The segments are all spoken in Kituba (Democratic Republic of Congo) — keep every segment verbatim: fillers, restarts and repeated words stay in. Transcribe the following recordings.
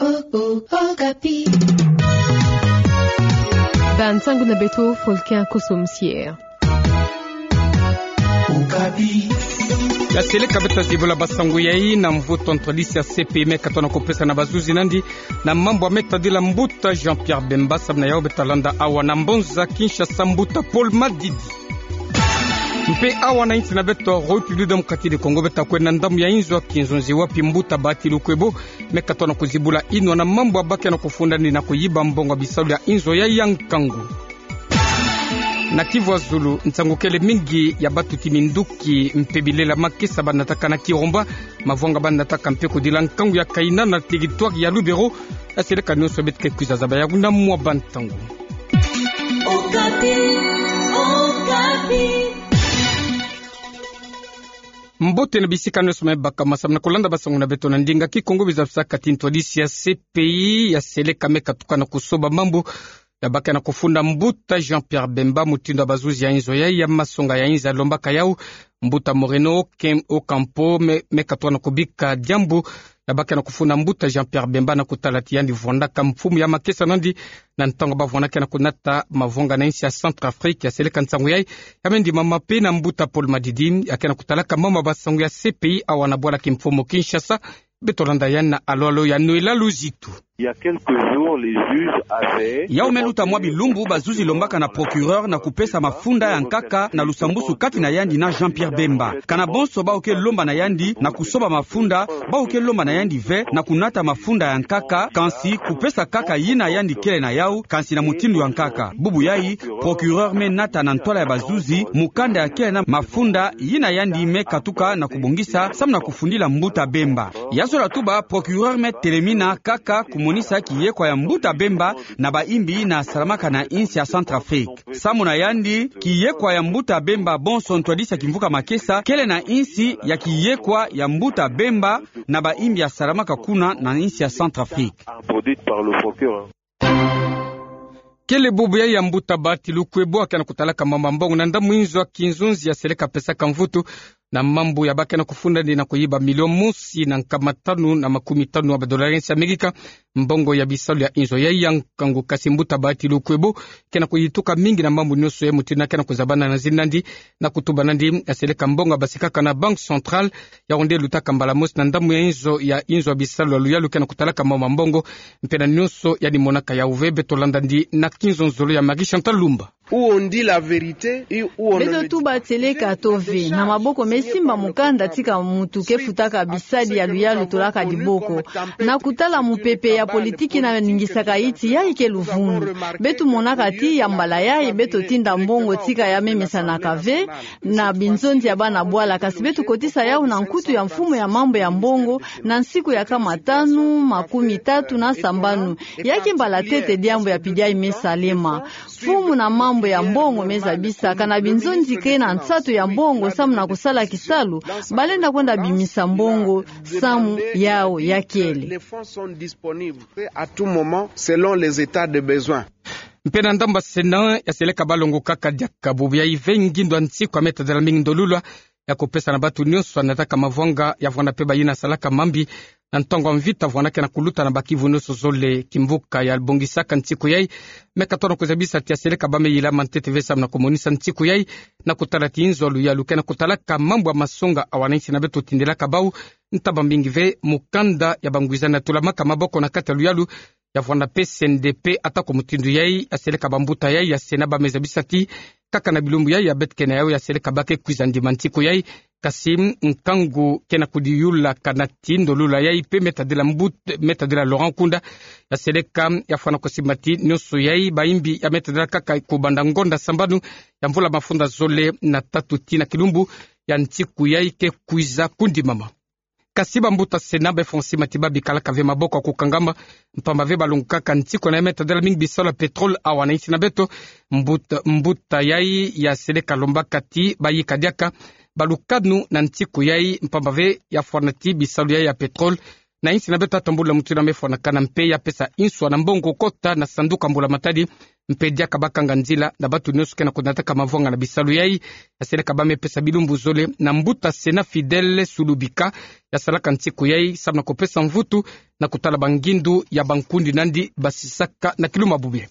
Okapi. Bansangu na beto, Folkin Kosom Sier. Okapi. Ya seleka beta zibula basangu yai na mvutu ntwadisi ya C P I me kato na kupesa na bazuzi nandi na mambu ya meta dila mbuta Jean-Pierre Bemba. Samu na yau beta landa awa na mbonza Kinshasa mbuta Paul Madidi. Mpe awa na insi na beto République Démocratique du Congo beta kwenda na ndamu ya inzo ya kinzonzi wapi mbuta Bahati Lukwebo me kato na kuzibula inwa na mambu ya bake na kufunda nde na kuyiba mbongo ya bisalu ya inzo yai ya nkangu. Na Kivu ya Zulu, nsangu kele mingi ya batuti minduki mpe bilela makesa banataka na Kirumba, mavwanga banataka mpe kudila nkangu ya Kaina na territoire ya Lubero. Ya seleka nionso beto ke kwiza zaba yau na mwa bantangu. Okapi, Okapi. Mbote na bisika nionso me bakama samu na kulanda basangu na beto na ndinga Kikongo. Biza bisaka ti ntwadisi ya C P I ya seleka me katuka na kusoba mambu ya bake na kufunda mbuta Jean-Pierre Bemba, mutindu ya bazuzi ya inzo yai ya masonga ya inza lombaka yau. Mbuta Moreno Kem-, Ocampo me, me katuka na kubika diambu ya bake na kufunda mbuta Jean-Pierre Bemba na kutala ti yandi vwandaka mfumu ya makesa nandi na ntangu ba vwandaka na kunata mavwanga na insi ya Centrafrique. Ya seleka nsangu yai ya me ndimama mpe na mbuta Paul Madidi, ya ke na kutalaka mambu ya basangu ya C P I awa na bwala kimfumu Kinshasa. Beto landa yandi na alo-alo ya Noëlla Luzitu. Il y a quelques jours, les juges avaient Yau me luta mwa bilumbu, bazuzi lombaka na procureur na kupesa mafunda ya nkaka na lusambusu kati na yandi na Jean-Pierre Bemba. Kana bonso bawu ke lomba na yandi na kusoba mafunda, bawu ke lomba na yandi ve na kunata mafunda ya nkaka, kansi kupesa kaka yina yandi kele na yau, kansi na mutindu ya nkaka. Bubu yai, procureur me nata na ntwala ya bazuzi mukanda ya kele na mafunda yina yandi me katuka na kubongisa samu na kufundila mbuta Bemba. Ya zola tuba, procureur me telemina kaka kumonisa kiyekwa ya mbuta Bemba na baimbi yina salamaka na insi ya Centrafrique. Samu na yandi, kiyekwa ya mbuta Bemba bonso ntwadisi ya kimvuka makesa kele na insi ya kiyekwa ya mbuta Bemba na baimbi ya salamaka kuna na insi ya Centrafrique. Produite par le procureur. Kele bubu yai ya mbuta Bahati Lukwebo, ya ke na kutalaka mambu ya mbongo na ndamu inzo ya kinzonzi ya seleka pesaka mvutu na mambu ya bake na kufunda nde na kuyiba milion mosi na nkama tanu na makumi tanu ya badolari ya insi ya Amerika, mbongo ya bisalu ya inzo yai ya nkangu. Kansi mbuta Bahati Lukwebo ke na kuyituka mingi na mambu nionso yai, mutindu yandi ke na kuzabana na zina nandi, na kutuba nandi ya seleka mbongo ya basikaka na Banque Centrale, yau nde lutaka mbala mosi na ndamu ya inzo ya, inzo ya bisalu ya luyalu ke na kutalaka mambu ya mbongo, mpe na nionso yandi monaka yau ve. Beto landa nde na kinzonzolo ya Marie Chantal Lumba. Ou on dit la vérité, ou on ne le dit pas. Beto tuba ti seleka to ve, na maboko me simba mukanda ti ka mutu ke futaka bisadi ya luyalu tolaka diboko. Na kutala mupepe ya politiki na ningisaka ti yai ke luvunu. Beto monaka ti ya mbala yai beto tinda mbongo ti ka ya memesanaka ve na binzonzi ya bana bwala, kansi beto kotisa yau na nkutu ya mfumu ya mambu ya mbongo na nsiku ya nkama tanu makumi tatu na sambanu. Ya ke mbala ntete diambu ya pidi yai me salema. Mfumu na mambu ya mbongo me zabisa kana binzonzi ke na nsatu ya mbongo samu na kusala kisalu, balenda kwenda bimisa mbongo samu yau ya kele. Les fonds sont disponibles à tout moment selon les états de besoin. Mpe na ndambu ya Sénat, ya seleka balongokaka diaka bubu yai ve ngindo ya nsiku ya meta dela mingi ndolula ya kupesa na batu nionso banataka mavwanga, ya vwanda mpe bayina salaka mambi na ntangu ya mvita, vwanda ke na kuluta na bakivu nionso zole. Kimvuka ya bongisaka nsiku yai me katono kuzabisa ti ya seleka ba me yilama ntete ve samu na kumonisa nsiku yai na kutala ti nzo ya luyalu ke na kutalaka mambu ya masonga ya wana nsi na beto tindelaka bau ntaba mingi ve mukanda ya bangwizani ya tulamaka maboko na kati ya luyalu, ya vwanda mpe C N D P. Atako mutindu yai, ya seleka bambuta yai ya Sénat ba me zabisa ti kaka na bilumbu yai ya beto ke na yau, ya seleka ba ke kwiza ndima nsiku yai, kasi nkangu ke na kudiyula kana ti ndolula yai mpe meta dela mbut-, meta dela Laurent Nkunda, ya seleka ya fwana kusimba ti nionso yai, bayimbi ya meta dela kaka kubanda ngonda sambanu ya mvula mafunda zole na tatu tii na kilumbu ya nsiku yai ke kwiza kundimama. Kasi bambuta Sénat be fwa sima ti ba bikalaka ve maboko ya kukangama, mpamba ve balongokaka nsiku na ya meta dela mingi bisalu ya pétrole ya wana nsi na beto. Mbuta, mbuta yai ya seleka lombaka ti bayika diaka balukanu na nsiku yai, mpamba ve ya fwana ti bisalu yai ya pétrole na insi na beto ya tambula mutindu ya mefwanakana mpe ya pesa inswa na mbongo kota na sanduku ya mbula matadi, mpe diaka bakanga nzila na bantu nyonso ke na kunataka mavwanga na bisalu yai. Yaseleka bamepesa bilumbu zole na mbuta Sena Fidèle Sulubika, yasalaka nsiku yai samu na kupesa mvutu na kutala bangindu ya bankundi nandi basisaka na kiluma bubu yai.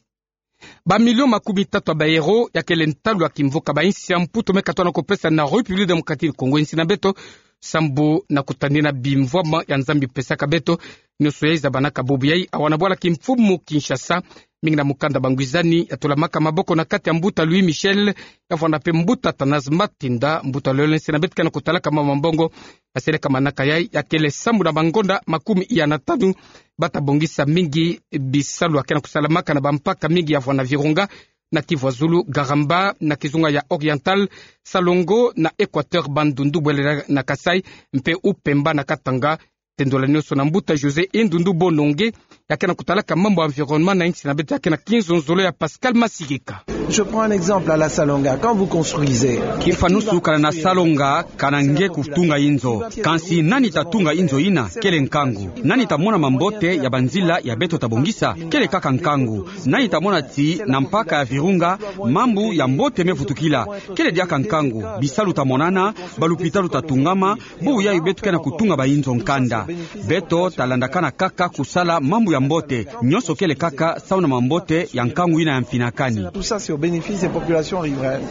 Bamilio makumi tatu ya baeuro ya kele ntalu ya kimvuka ba insi ya Mputu mekatwa na kupesa na République Démocratique du Congo, insi na beto, sambu na kutanina bimvwama ya Nzambi pesaka beto. Nyonso yai zabanaka bubu yai awa na bwala kimfumu Kinshasa, mingi na mukanda bangwizani ya tulamaka maboko na kati ya mbuta Louis Michel, ya vwanda mpe mbuta Athanase Matinda, mbuta Lolense na beto ke na kutalaka mama mbongo. Yaseleka manaka yai ya kele sambu na bangonda makumi ya na tanu, bata bongisa mingi bisalu ya ke na kusalamaka na bampaka mingi ya vwanda Virunga, na Kivu ya Zulu, Garamba na kizunga ya Oriental, Salongo na Equateur, Bandundu, Bwelele na Kasaï, mpe Upemba na Katanga. Tendula nyonso na mbuta José Indundu Bononge, ya ke na kutalaka mambu ya environnement na insi na beto, ya ke na kinzonzolo ya Pascal Masigika. Je prends un exemple à la Salonga. Quand vous construisez, kifanusu kana na Salonga, kana nge kutunga inzo. Kansi nani tatunga inzo ina? Kele nkangu. Nani tamona mambote ya banzila ya beto tabongisa? Kele kaka nkangu. Nani tamona ti na mpaka ya Virunga mambu ya mbote mevutukila? Kele diaka nkangu. Bisalu tamonana, balupitalu tatungama, bubu yai beto ke na kutunga bainzo nkanda. Beto talandakana kaka kusala mambu ya mbote. Nyonso kele kaka samu na mambote ya nkangu ina ya mfinakani. Tout ça, c'est au bénéfice des populations riveraines.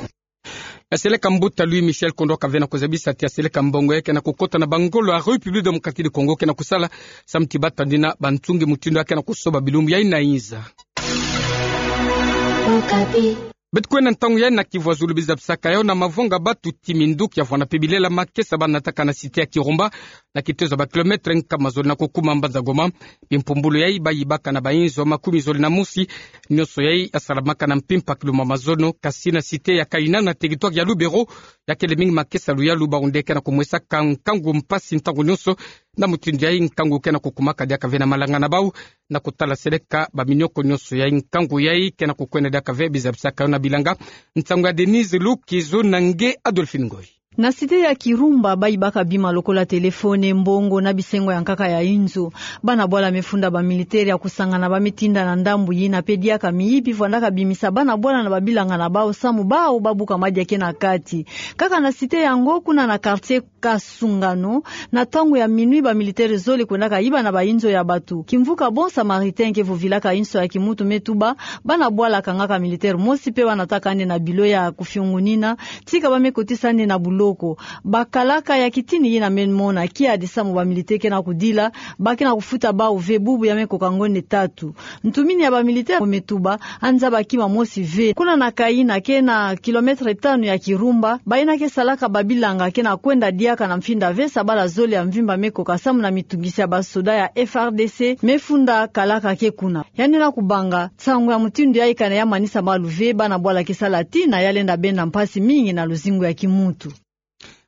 Yaseleka mbuta Louis Michel Kondo kave na kuzabisa ti yaseleka mbongo yai ke na kukota na bangolo ya République Démocratique du Congo ke na kusala samu ti bata ndina bantungi mutindu ya ke na kusoba bilumbu yai na inza. Beto kwenda ntangu yai na Kivu ya Zulu, biza bisaka yau na mavonga batu ti minduki ya vwanda mpe bilela makesa banataka na cité ya Kirumba, na kitezo ya ba kilomètre nkama zole na kukuma mbanza Goma. Bimpumbulu yai bayibaka na bainzo makumi zole na mosi. Nyonso yai yasalamaka na mpimpa kilumbu ya mazono, kasi na cité ya Kaina na territoire ya Lubero, ya kele mingi makesa luyalu, bau nde ke na kumwesaka nkangu mpasi ntangu nyonso. Na mutindu yai nkangu ke na kukumaka diaka ve na malanga na bau, na kutala seleka baminioko nyonso yai. Nkangu yai ke na kukwenda diaka ve, biza bisaka yau na bilanga. Nsangu ya Denise Lukizo na nge Adolphine Ngoy. Na cité ya Kirumba, bayibaka bima lokola téléphone, mbongo na bisengo ya nkaka ya inzo. Bana bwala mefunda ba militaire ya kusangana, bametinda na ndambu yina, mpe diaka miyibi vwandaka bimisa bana bwala na babilanga na bau samu bau babuka madia ke na kati. Kaka na cité yango, kuna na quartier Kasungano, na ntangu ya minuit, ba militaire zole kwendaka yiba na bainzo ya batu. Kimvuka Bon Samaritain ke vuvilaka inso ya kimuntu metuba, bana bwala kangaka militaire mosi mpe banataka nde na bilo ya kufiungunina, tika bamekotisa nde na buloko. Bakalaka ya kitini yina memona kiadi samu ba militaire ke na kudila, ba ke na kufuta bau ve, bubu ya mekoka ngonde tatu. Ntumini ya ba militaire metuba, anza bakima mosi ve. Kuna na Kaina, ke na kilomètre tanu ya Kirumba, bayina ke salaka babilanga ke na kwenda diaka na mfinda ve, sabala zole ya mvimba mekoka samu na mitungisi ya basoda ya F R D C mefunda kalaka ke kuna. Yandi na kubanga nsangu ya mutindu yai kana ya manisa malu ve, bana bwala ke sala tina ya lenda benda mpasi mingi na luzingu ya kimuntu.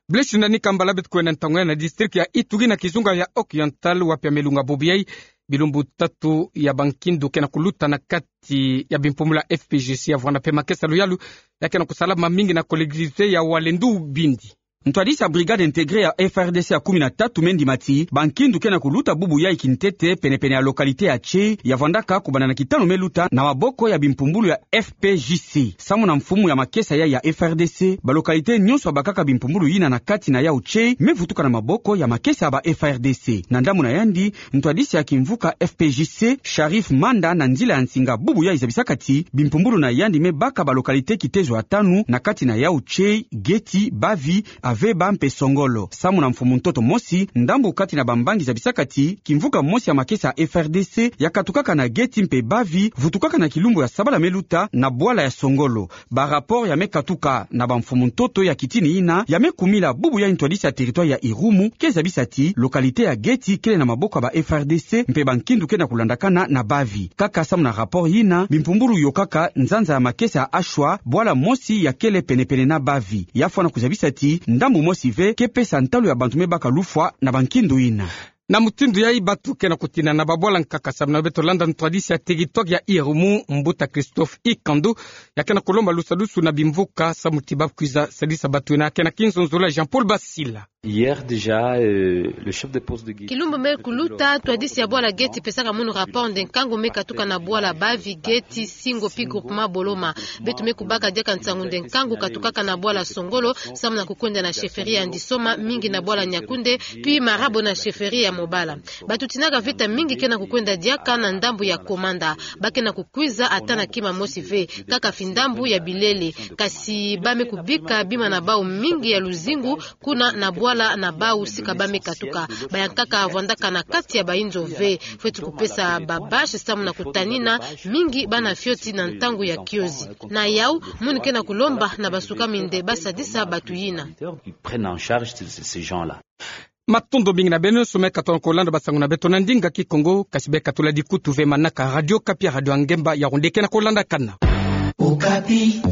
Blaise Ndani Kambala. Beto kwenda ntangu yai na district ya Ituri na kizunga ya Occidental, wapi ya melunga bubu yai bilumbu tatu ya bankindu ke na kuluta na kati ya bimpumbulu ya F P J C ya vwanda mpe makesa luyalu ya ke na kusalama mingi na collectivité ya Walendu Bindi. Ntwadisi ya brigade intégrée ya F R D C ya kumi na tatu me ndima ti bankindu ke na kuluta bubu yai kintete pene-pene ya localité ya Tchei, ya vwandaka kubanda na kitanu meluta na maboko ya bimpumbulu ya F P J C. Samu na mfumu ya makesa yai ya F R D C, ba localité nyonso ya bakaka bimpumbulu yina na kati na yau Tchei mevutuka na maboko ya makesa ya ba F R D C. Na ndambu na yandi, ntwadisi ya kimvuka F P J C, Sharif Manda, na nzila ya nsinga bubu yai zabisaka ti bimpumbulu na yandi mebaka ba localité kitezo ya tanu na kati na yau Tchei, Geti, Bavi, Aveba mpe Songolo. Samu na mfumu ntoto mosi, ndambu kati na bambangi zabisaka ti kimvuka mosi ya makesa ya F R D C ya katukaka na Geti mpe Bavi, vutukaka na kilumbu ya sabala meluta na bwala ya Songolo. Ba rapport ya mekatuka na bamfumu ntoto ya kitini yina ya mekumila bubu yai ntwadisi ya territoire ya Irumu, ke zabisa ti localité ya Geti kele na maboko ya ba F R D C mpe bankindu ke na kulandakana na Bavi. Kaka samu na rapport yina, bimpumbulu yokaka nzanza ya makesa ya Ashwa, bwala mosi ya kele pene-pene na Bavi. Ya fwana kuzabisa ti ndambu mosi ve ke pesa ntalu ya bantu mebaka lufwa na bankindu yina. Na mutindu yai, batu ke na kutinana babwala nkaka. Samu na beto landa ntwadisi ya territoire ya Irumu, mbuta Christophe Ikandu, ya ke na kulomba lusadusu na bimvuka samu ti bakwiza sadisa batu yina. Ke na kinzonzolo ya Jean-Paul Basila. Hier déjà, euh, le chef de poste de Geti. Kilumbu me kuluta, twadisi ya bwala Geti pesaka munu rapport nde nkangu me katuka na bwala Bavi, Geti, Singo pi groupement Boloma. Beto me kubaka diaka nsangu nde nkangu katukaka na bwala Songolo, samu na kukwenda na chefferie ya Ndisoma, mingi na bwala Niakoundé, pi Marabo na chefferie ya Mobala. Bato tinaka vita mingi ke na kukwenda diaka na ndambu ya Komanda. Ba ke na kukwiza ata na kima mosi ve, kaka fi ndambu ya bilele. Kasi ba me kubika bima na bau mingi ya luzingu kuna na bwala na bau sika ba me katuka. Bayankaka vwandaka na kati ya bainzo ve. Fweti kupesa ba bâche samu na kutanina mingi bana fioti na ntangu ya kiozi. Na yau, munu ke na kulomba na basukami nde ba sadisa bato yina. Ils prennent en charge ces, ces gens-là. Matondo mingi na beno nyonso me katuka kolanda basango na beto na ndinga Kikongo, kasi be katula dikutu ve manaka Radio Okapi, radio ya ngemba, ya onde ke na kolandakana. Okapi.